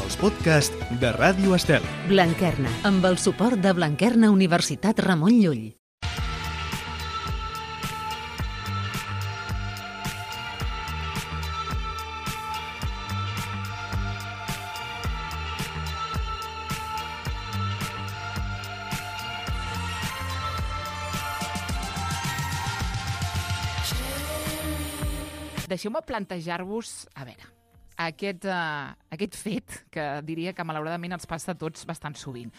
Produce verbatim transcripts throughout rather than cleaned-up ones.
els podcasts de Ràdio Estel. Blanquerna, amb el suport de Blanquerna Universitat Ramon Llull. Deixeu-me plantejar-vos, a veure, aquest, uh, aquest fet que diria que malauradament ens passa a tots bastant sovint.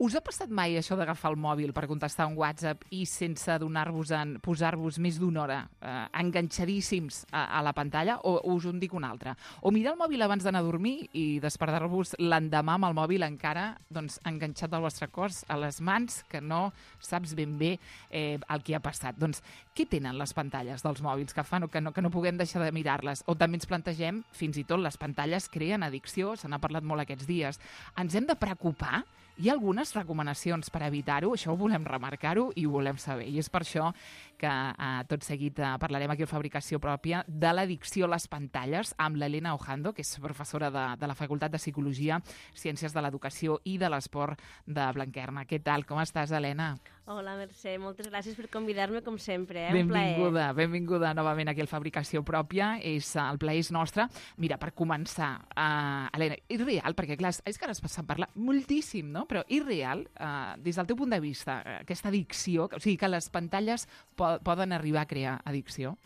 Us ha passat mai això d'agafar el mòbil per contestar un WhatsApp i sense donar-vos en posar-vos més d'una hora eh, enganxadíssims a, a la pantalla? O, o us en dic una altra? O mirar el mòbil abans d'anar a dormir i despertar-vos l'endemà amb el mòbil encara doncs, enganxat al vostre cos, a les mans, que no saps ben bé eh, el que ha passat. Doncs què tenen les pantalles dels mòbils que fan o que no, que no puguem deixar de mirar-les? O també ens plantegem, fins i tot les pantalles creen addicció, se n'ha parlat molt aquests dies. Ens hem de preocupar? Hi ha algunes recomanacions per evitar-ho, això ho volem remarcar-ho i ho volem saber. I és per això que eh, tot seguit eh, parlarem aquí a Fabricació Pròpia de l'addicció a les pantalles amb l'Helena Ojando, que és professora de, de la Facultat de Psicologia, Ciències de l'Educació i de l'Esport de Blanquerna. Què tal? Com estàs, Helena? Hola, Mercè. Moltes gràcies per convidar-me, com sempre. Eh? Benvinguda, benvinguda novament aquí a Fabricació Pròpia. És, el plaer és nostre. Mira, per començar, uh, Helena, és real, perquè clar, és que ara se'n parla moltíssim, no? Però és real, uh, des del teu punt de vista, aquesta addicció, o sigui, que les pantalles po poden arribar a crear addicció?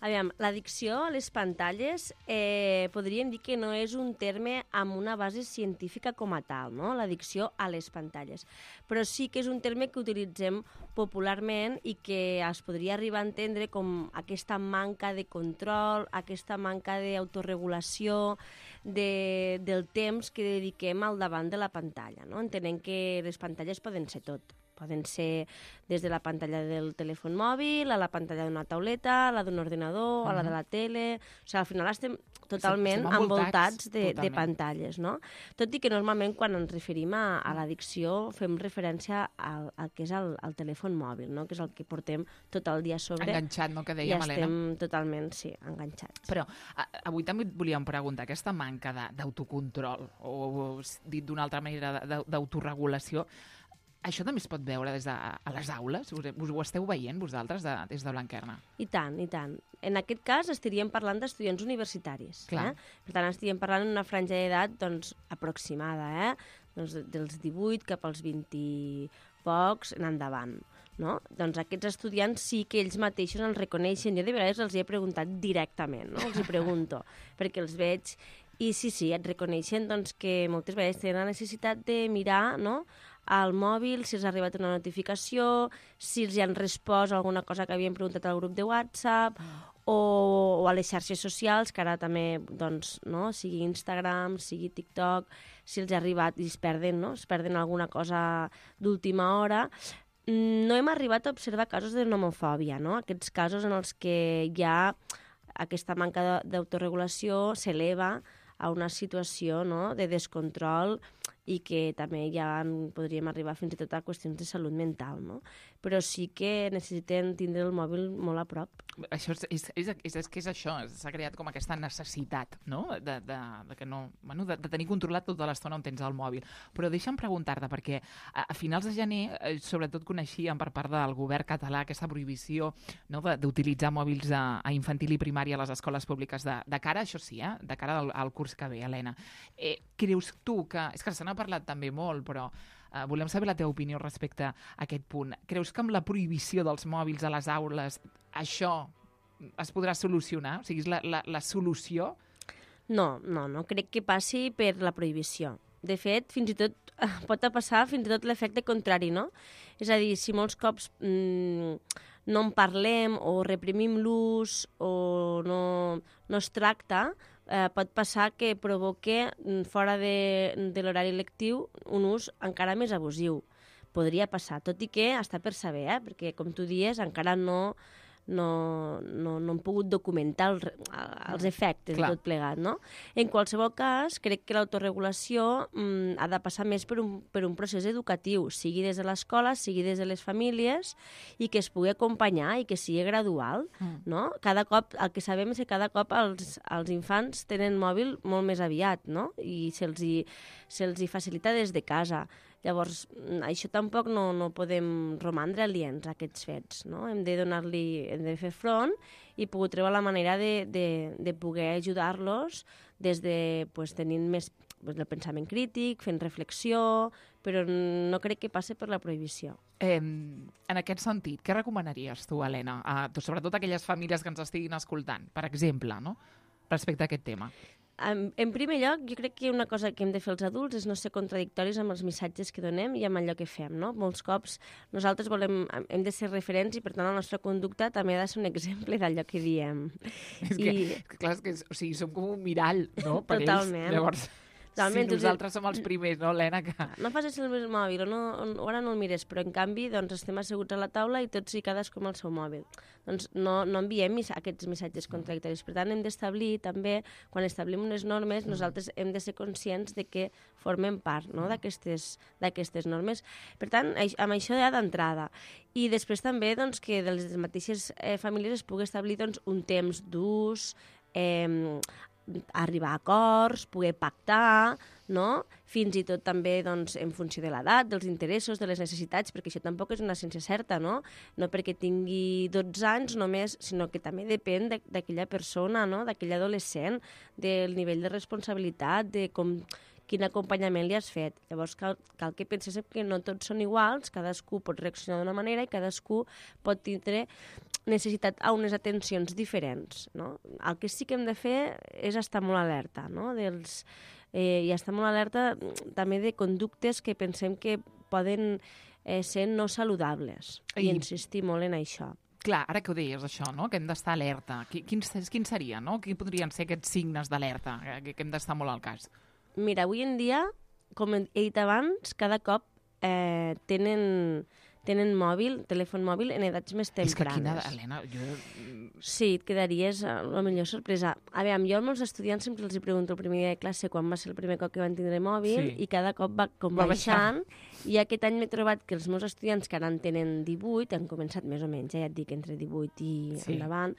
Aviam, l'addicció a les pantalles eh, podríem dir que no és un terme amb una base científica com a tal, no? L'addicció a les pantalles. Però sí que és un terme que utilitzem popularment i que es podria arribar a entendre com aquesta manca de control, aquesta manca d'autoregulació de, del temps que dediquem al davant de la pantalla, no? Entenent que les pantalles poden ser tot. Poden ser des de la pantalla del telèfon mòbil, a la pantalla d'una tauleta, a la d'un ordinador, uh -huh. a la de la tele... O sigui, al final estem totalment estem envoltats de, totalment. de pantalles, no? Tot i que normalment quan ens referim a, a l'addicció fem referència al, al que és el, el telèfon mòbil, no? Que és el que portem tot el dia a sobre. Enganxat, no?, que dèiem, Helena. I estem totalment, sí, enganxats. Però a, avui també et volíem preguntar, aquesta manca d'autocontrol, o, o dit d'una altra manera, d'autoregulació, això també es pot veure des de a les aules? Us, us ho esteu veient vosaltres de, des de Blanquerna? I tant, i tant. En aquest cas estaríem parlant d'estudiants universitaris. Clar. Eh? Per tant, estaríem parlant d'una franja d'edat doncs, aproximada, eh? doncs, dels divuit cap als vint i pocs en endavant. No? Doncs aquests estudiants sí que ells mateixos els reconeixen. Jo de vegades els he preguntat directament, no? Els hi pregunto, perquè els veig. I sí, sí, et reconeixen doncs, que moltes vegades tenen la necessitat de mirar, no?, al mòbil, si els ha arribat una notificació, si els han respost alguna cosa que havien preguntat al grup de WhatsApp, o, o a les xarxes socials, que ara també, doncs, no?, sigui Instagram, sigui TikTok, si els ha arribat i es perden, no?, es perden alguna cosa d'última hora. No hem arribat a observar casos de nomofòbia, no?, aquests casos en els que hi ha aquesta manca d'autoregulació s'eleva a una situació, no?, de descontrol i que també ja podríem arribar fins i tot a qüestions de salut mental, no? Però sí que necessiten tindre el mòbil molt a prop. Això és, és, és, és, és que és això, s'ha creat com aquesta necessitat, no?, de, de, de, que no, bueno, de, de tenir controlat tota l'estona on tens el mòbil. Però deixa'm preguntar-te, perquè a, a finals de gener, eh, sobretot coneixíem per part del govern català aquesta prohibició, no?, d'utilitzar mòbils a, a infantil i primària a les escoles públiques de, de cara, això sí, eh, de cara al, al curs que ve, Helena. Eh, creus tu que... És que se n'ha parlat també molt, però uh, volem saber la teva opinió respecte a aquest punt. Creus que amb la prohibició dels mòbils a les aules això es podrà solucionar? O sigui, és la, la, la solució? No, no, no crec que passi per la prohibició. De fet, fins i tot pot passar fins i tot l'efecte contrari, no? És a dir, si molts cops mmm, no en parlem o reprimim l'ús o no, no es tracta, eh, pot passar que provoque fora de, de l'horari lectiu un ús encara més abusiu. Podria passar, tot i que està per saber, eh? Perquè, com tu dies, encara no, no, no, no hem pogut documentar el, els efectes Clar. de tot plegat, no? En qualsevol cas, crec que l'autoregulació mm, ha de passar més per un, per un procés educatiu, sigui des de l'escola, sigui des de les famílies, i que es pugui acompanyar i que sigui gradual, Mm. no? Cada cop, el que sabem és que cada cop els, els infants tenen mòbil molt més aviat, no? I se'ls hi, se'ls hi facilita des de casa. Llavors, això tampoc no, no podem romandre aliens a aquests fets, no? Hem de donar-li, hem de fer front i poder trobar la manera de, de, de poder ajudar-los des de, pues, tenint més pues, el pensament crític, fent reflexió, però no crec que passe per la prohibició. Eh, en aquest sentit, què recomanaries tu, Helena, a, sobretot a aquelles famílies que ens estiguin escoltant, per exemple, no? Respecte a aquest tema? En, en primer lloc, jo crec que una cosa que hem de fer els adults és no ser contradictoris amb els missatges que donem i amb allò que fem, no? Molts cops nosaltres volem, hem de ser referents i, per tant, la nostra conducta també ha de ser un exemple d'allò que diem. És que, I... és que clar, és que, o sigui, som com un mirall, no?, per Totalment. ells. Llavors, Totalment. si nosaltres som els primers, no, Helena? Que... No facis el meu mòbil, o, no, o ara no el mires, però en canvi doncs, estem asseguts a la taula i tots i cadascú amb el seu mòbil. Doncs no, no enviem mis aquests missatges contradictoris. Per tant, hem d'establir també, quan establim unes normes, nosaltres hem de ser conscients de que formem part, no?, d'aquestes d'aquestes normes. Per tant, amb això ja d'entrada. I després també doncs, que de les mateixes eh, famílies es pugui establir doncs, un temps d'ús, eh, arribar a acords, poder pactar, no? Fins i tot també doncs, en funció de l'edat, dels interessos, de les necessitats, perquè això tampoc és una ciència certa, no? No perquè tingui dotze anys només, sinó que també depèn d'aquella persona, no? D'aquell adolescent, del nivell de responsabilitat, de com, quin acompanyament li has fet. Llavors cal, cal que penséssim que no tots són iguals, cadascú pot reaccionar d'una manera i cadascú pot tindre necessitat a unes atencions diferents, no? El que sí que hem de fer és estar molt alerta, no? Dels, eh, i estar molt alerta també de conductes que pensem que poden eh, ser no saludables. I, I insistir molt en això. Clar, ara que ho deies, això, no?, que hem d'estar alerta. Quins, quins serien, no? Quins podrien ser aquests signes d'alerta que, que hem d'estar molt al cas? Mira, avui en dia, com he dit abans, cada cop eh, tenen... tenen mòbil, telèfon mòbil, en edats més tempranes. És que quina... Helena, jo... Sí, et quedaries a la millor sorpresa. A veure, jo als meus estudiants sempre els pregunto el primer dia de classe quan va ser el primer cop que van tindre mòbil, sí. I cada cop va com va baixant, i aquest any m'he trobat que els meus estudiants que ara en tenen divuit, han començat més o menys, eh, ja et dic, entre divuit i sí. endavant,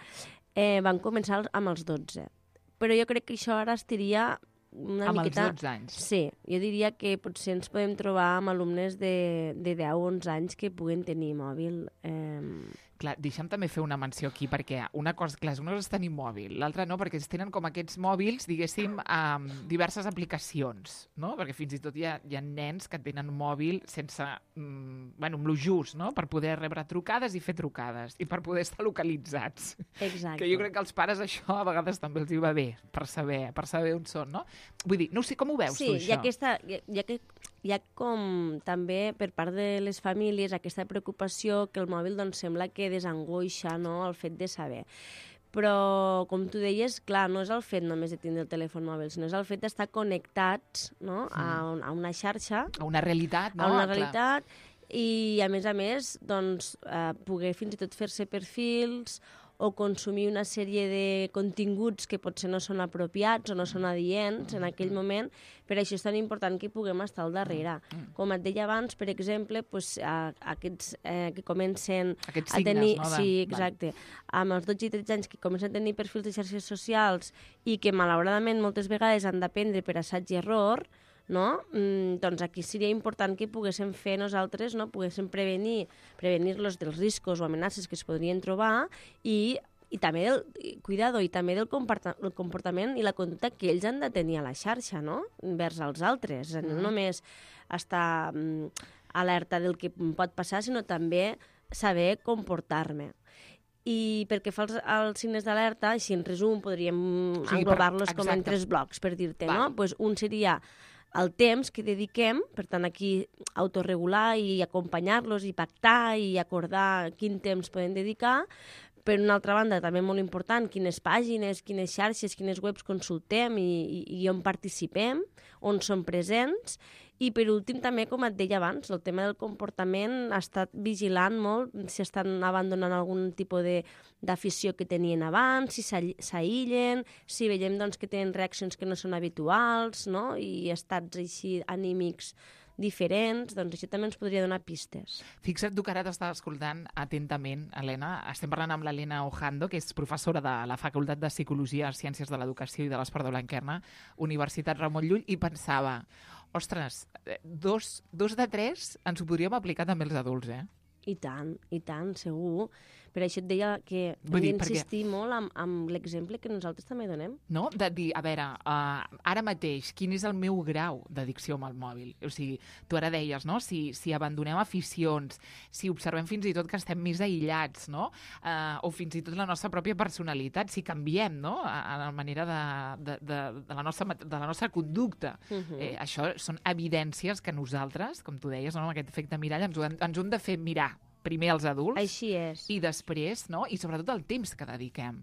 eh, van començar amb els dotze. Però jo crec que això ara estiria una amb miqueta... els dotze anys. Sí, jo diria que potser ens podem trobar amb alumnes de, de deu o onze anys que puguen tenir mòbil. Eh... Clar, deixa'm també fer una menció aquí, perquè una cosa, clar, una cosa és tenir mòbil, l'altra no, perquè es tenen com aquests mòbils, diguéssim, amb diverses aplicacions, no? Perquè fins i tot hi ha, hi ha nens que tenen mòbil sense, mm, bueno, amb lo just, no?, per poder rebre trucades i fer trucades, i per poder estar localitzats. Exacte. Que jo crec que als pares això a vegades també els hi va bé, per saber, per saber on són, no? Vull dir, no sé, com ho veus sí, tu, això? Sí, hi ha aquesta... Hi ha, hi ha que hi ha com també per part de les famílies aquesta preocupació que el mòbil doncs, sembla que desangoixa, no?, el fet de saber. Però, com tu deies, clar, no és el fet només de tindre el telèfon mòbil, sinó és el fet d'estar connectats, no?, a, un, a una xarxa. A una realitat, no? A una clar. realitat, i a més a més, doncs, eh, poder fins i tot fer-se perfils o consumir una sèrie de continguts que potser no són apropiats o no són adients en aquell moment. Per això és tan important que puguem estar al darrere. Com et deia abans, per exemple, pues, a, a aquests eh, que comencen aquests a signes, tenir... no? De... Sí, exacte. Amb els dotze i tretze anys que comencen a tenir perfils de xarxes socials i que, malauradament, moltes vegades han d'aprendre per assaig i error, no? Mm, doncs aquí seria important que poguéssim fer nosaltres, no? Poguéssim prevenir, prevenir-los dels riscos o amenaces que es podrien trobar i, i també del, cuidado, i també del el comportament i la conducta que ells han de tenir a la xarxa, no?, vers els altres. Mm. No només estar mm, alerta del que pot passar, sinó també saber comportar-me. I perquè fa els, els signes d'alerta, així en resum podríem sí, englobar-los com en tres blocs, per dir-te, no? Pues un seria el temps que dediquem, per tant aquí autorregular i acompanyar-los i pactar i acordar quin temps podem dedicar, per una altra banda, també molt important, quines pàgines, quines xarxes, quines webs consultem i, i, i on participem, on som presents. I per últim també, com et deia abans, el tema del comportament ha estat vigilant molt si estan abandonant algun tipus de, d'afició que tenien abans, si s'aïllen, si veiem doncs, que tenen reaccions que no són habituals, no? I estats així anímics diferents, doncs això també ens podria donar pistes. Fixa't tu que ara t'estava escoltant atentament, Helena. Estem parlant amb l'Helena Ojando, que és professora de la Facultat de Psicologia, Ciències de l'Educació i de l'Esport de Blanquerna, Universitat Ramon Llull, i pensava, ostres, dos, dos de tres ens ho podríem aplicar també als adults, eh? I tant, i tant, segur. Per això et deia que hem d'insistir perquè... molt amb, amb l'exemple que nosaltres també donem. No? De dir, a veure, uh, ara mateix, quin és el meu grau d'addicció amb el mòbil? O sigui, tu ara deies, no? Si, si abandonem aficions, si observem fins i tot que estem més aïllats, no? Uh, o fins i tot la nostra pròpia personalitat, si canviem, no? A, a la manera de, de, de, de, la nostra, de la nostra conducta. Uh-huh. eh, això són evidències que nosaltres, com tu deies, no? Amb aquest efecte mirall, ens ho, ens ho hem de fer mirar primer els adults. Així és. I després, no? I sobretot el temps que dediquem.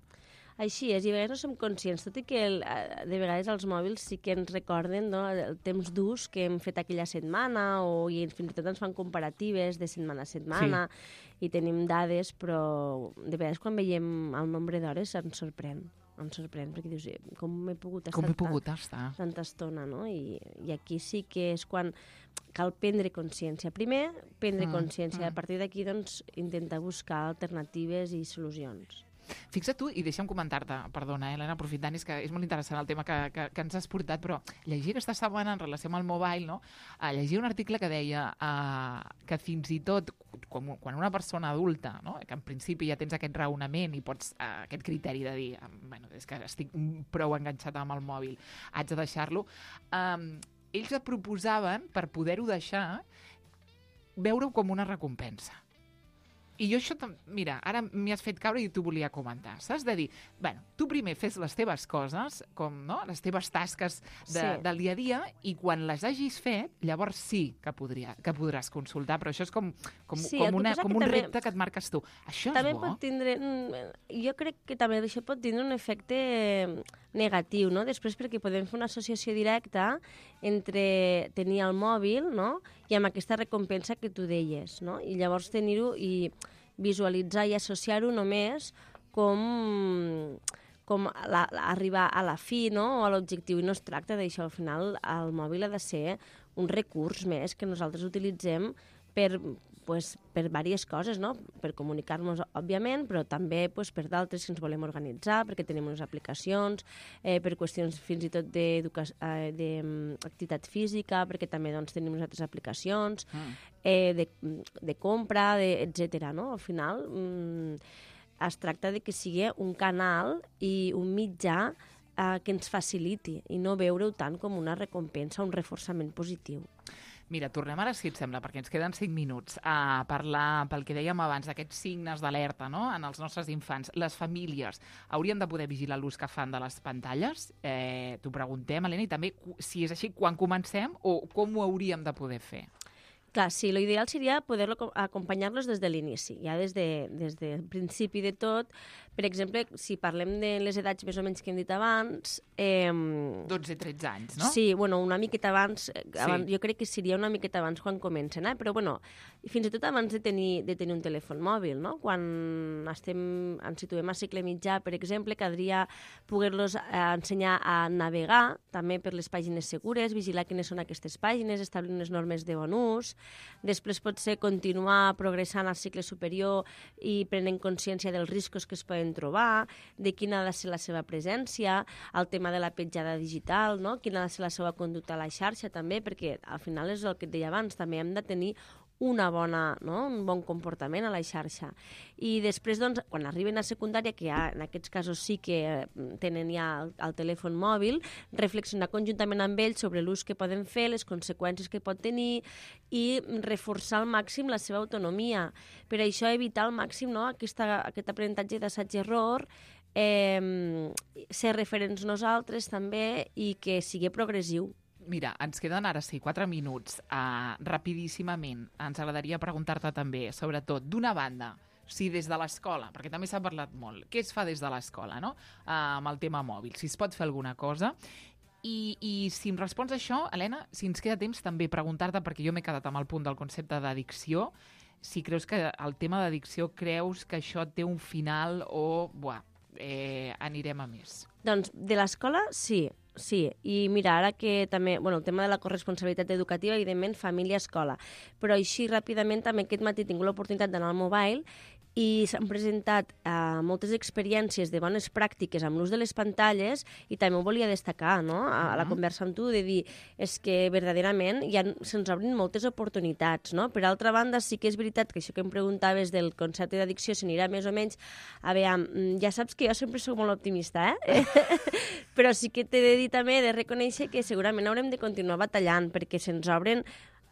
Així és, i a vegades no som conscients, tot i que el, de vegades els mòbils sí que ens recorden, no, el temps d'ús que hem fet aquella setmana, o i fins i tot ens fan comparatives de setmana a setmana, sí. I tenim dades, però de vegades quan veiem el nombre d'hores ens sorprèn. Ens sorprèn, perquè dius, com he pogut estar, com he pogut estar? tanta estona, no? I, I aquí sí que és quan cal prendre consciència. Primer, prendre mm, consciència. Mm. A partir d'aquí, doncs, intentar buscar alternatives i solucions. Fixa't tu, i deixa'm comentar-te, perdona, eh, Helena, aprofitant, és que és molt interessant el tema que, que, que ens has portat, però llegir aquesta setmana en relació amb el mobile, no? Uh, llegia un article que deia uh, que fins i tot quan, quan una persona adulta, no? Que en principi ja tens aquest raonament i pots uh, aquest criteri de dir, uh, bueno, és que estic prou enganxat amb el mòbil, haig de deixar-lo, um, ells et proposaven, per poder-ho deixar, veure-ho com una recompensa. I jo això, mira, ara m'hi has fet caure i t'ho volia comentar. Saps? De dir, bueno, tu primer fes les teves coses, com, no?, les teves tasques de, sí. del dia a dia, i quan les hagis fet, llavors sí que, podria, que podràs consultar, però això és com, com, sí, com, una, com un també, repte que et marques tu. Això també és bo. Pot tindre, jo crec que també això pot tindre un efecte negatiu, no? Després, perquè podem fer una associació directa entre tenir el mòbil, no?, i amb aquesta recompensa que tu deies, no? I llavors tenir-ho i visualitzar i associar-ho només com, com la, la, arribar a la fi, no?, o a l'objectiu, i no es tracta d'això. Al final, el mòbil ha de ser un recurs més que nosaltres utilitzem per, pues, per diverses coses, no? Per comunicar-nos, òbviament, però també pues, per d'altres que ens volem organitzar, perquè tenim unes aplicacions, eh, per qüestions fins i tot d'activitat eh, física, perquè també doncs, tenim unes altres aplicacions, mm. eh, de, de compra, de, etcètera. No? Al final, mm, es tracta de que sigui un canal i un mitjà eh, que ens faciliti i no veure-ho tant com una recompensa, un reforçament positiu. Mira, tornem ara, si et sembla, perquè ens queden cinc minuts, a parlar, pel que dèiem abans, d'aquests signes d'alerta, no?, en els nostres infants. Les famílies haurien de poder vigilar l'ús que fan de les pantalles? Eh, T'ho preguntem, Helena, i també, si és així, quan comencem o com ho hauríem de poder fer? Clar, sí, l'ideal seria poder acompanyar-los des de l'inici, ja des, de, des del principi de tot. Per exemple, si parlem de les edats més o menys que hem dit abans... Eh, dotze tretze anys, no? Sí, bueno, una miqueta abans, abans sí. Jo crec que seria una miqueta abans quan comencen, eh? Però bueno, fins i tot abans de tenir, de tenir un telèfon mòbil, no? Quan estem, ens situem a cicle mitjà, per exemple, caldria poder-los eh, ensenyar a navegar, també per les pàgines segures, vigilar quines són aquestes pàgines, establir unes normes de bon ús. Després potser continuar progressant al cicle superior i prenent consciència dels riscos que es poden trobar, de quina ha de ser la seva presència, el tema de la petjada digital, no? Quina ha de ser la seva conducta a la xarxa també, perquè al final és el que et deia abans, també hem de tenir una bona, no? Un bon comportament a la xarxa. I després, doncs, quan arriben a secundària, que ja en aquests casos sí que tenen ja el, el telèfon mòbil, reflexionar conjuntament amb ells sobre l'ús que poden fer, les conseqüències que pot tenir i reforçar al màxim la seva autonomia. Per això evitar al màxim, no?, Aquesta, aquest aprenentatge d'assaig-error, eh, ser referents nosaltres també i que sigui progressiu. Mira, ens queden ara sí, quatre minuts. Uh, rapidíssimament, ens agradaria preguntar-te també, sobretot, d'una banda, si des de l'escola, perquè també s'ha parlat molt, què es fa des de l'escola, no? Uh, amb el tema mòbil, si es pot fer alguna cosa. I, I si em respons això, Helena, si ens queda temps també preguntar-te, perquè jo m'he quedat amb el punt del concepte d'addicció, si creus que el tema d'addicció creus que això té un final o, buah, eh, anirem a més? Doncs de l'escola, sí. Sí, i mira, ara que també, bueno, el tema de la corresponsabilitat educativa, evidentment, família-escola, però així ràpidament també aquest matí he tingut l'oportunitat d'anar al Mobile i s'han presentat eh, moltes experiències de bones pràctiques amb l'ús de les pantalles i també ho volia destacar, no?, a, a la conversa amb tu, de dir, és que verdaderament ja se'ns obrin moltes oportunitats, no? Per altra banda, sí que és veritat que això que em preguntaves del concepte d'addicció s'anirà més o menys, a veure, ja saps que jo sempre soc molt optimista, eh? Però sí que t'he de dir també, de reconèixer que segurament haurem de continuar batallant perquè se'ns obren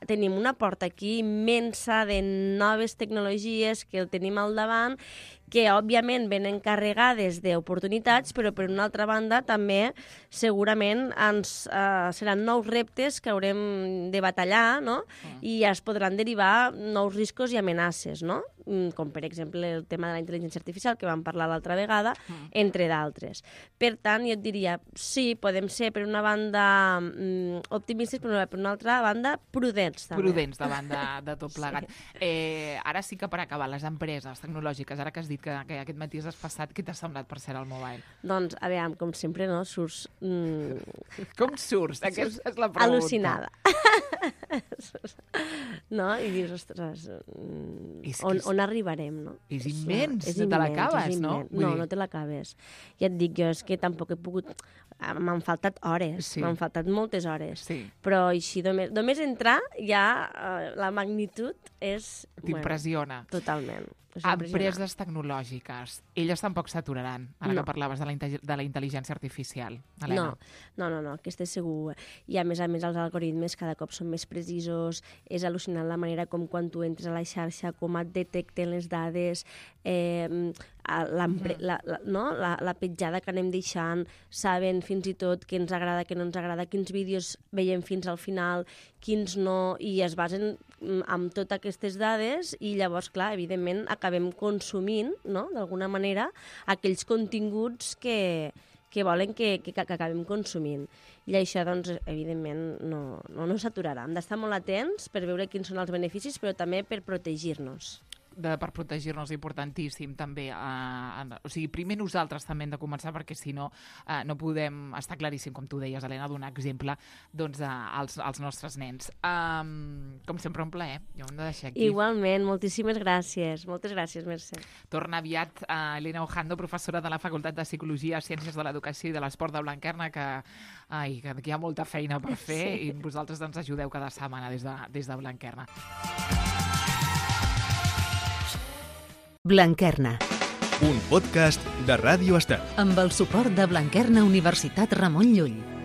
tenim una porta aquí immensa de noves tecnologies que el tenim al davant, que òbviament venen carregades d'oportunitats, però per una altra banda també segurament ens, eh, seran nous reptes que haurem de batallar, no? Mm. I ja es podran derivar nous riscos i amenaces, no? Com per exemple el tema de la intel·ligència artificial que vam parlar l'altra vegada, mm. entre d'altres. Per tant, jo et diria, sí, podem ser per una banda mm, optimistes, però per una altra banda prudents també. Prudents davant de, de tot plegat. Sí. Eh, ara sí que per acabar, les empreses tecnològiques, ara que has dit que, que aquest matí has passat, què t'ha semblat per ser al Mobile? Doncs, a veure, com sempre, no, surts... Mm, com surts? Aquesta és la pregunta. Al·lucinada. No? I dius, ostres, mm, on, on arribarem, no? És immens, és no te l'acabes, no? No, no te l'acabes. Ja et dic, jo és que tampoc he pogut... M'han faltat hores, sí. M'han faltat moltes hores. Sí. Però així, només, només entrar, ja uh, la magnitud és... T'impressiona. Bueno, totalment. Empreses tecnològiques, elles tampoc s'aturaran, ara no. que parlaves de la, de la intel·ligència artificial, Helena. No, no, no, no, aquesta és segur. I a més a més els algoritmes cada cop són més precisos, és al·lucinant la manera com quan tu entres a la xarxa, com et detecten les dades, eh, la, la, la, no? la, la petjada que anem deixant, saben fins i tot què ens agrada, què no ens agrada, quins vídeos veiem fins al final, quins no, i es basen amb totes aquestes dades i llavors, clar, evidentment, acabem consumint, no?, d'alguna manera, aquells continguts que, que volen que, que, que acabem consumint. I això, doncs, evidentment, no, no, no s'aturarà. Hem d'estar molt atents per veure quins són els beneficis, però també per protegir-nos. De, per protegir-nos, importantíssim també. Uh, o sigui, primer nosaltres també hem de començar, perquè si no, uh, no podem, està claríssim, com tu deies, Helena, donar exemple doncs, uh, als, als nostres nens. Um, com sempre, un plaer. Jo hem de deixar aquí. Igualment, moltíssimes gràcies. Moltes gràcies, Mercè. Torna aviat uh, Helena Ojando, professora de la Facultat de Psicologia, Ciències de l'Educació i de l'Esport de Blanquerna, que, ai, que hi ha molta feina per fer sí. I vosaltres ens ajudeu cada setmana des de, des de Blanquerna. Blanquerna. Un podcast de Ràdio Estel. Amb el suport de Blanquerna Universitat Ramon Llull.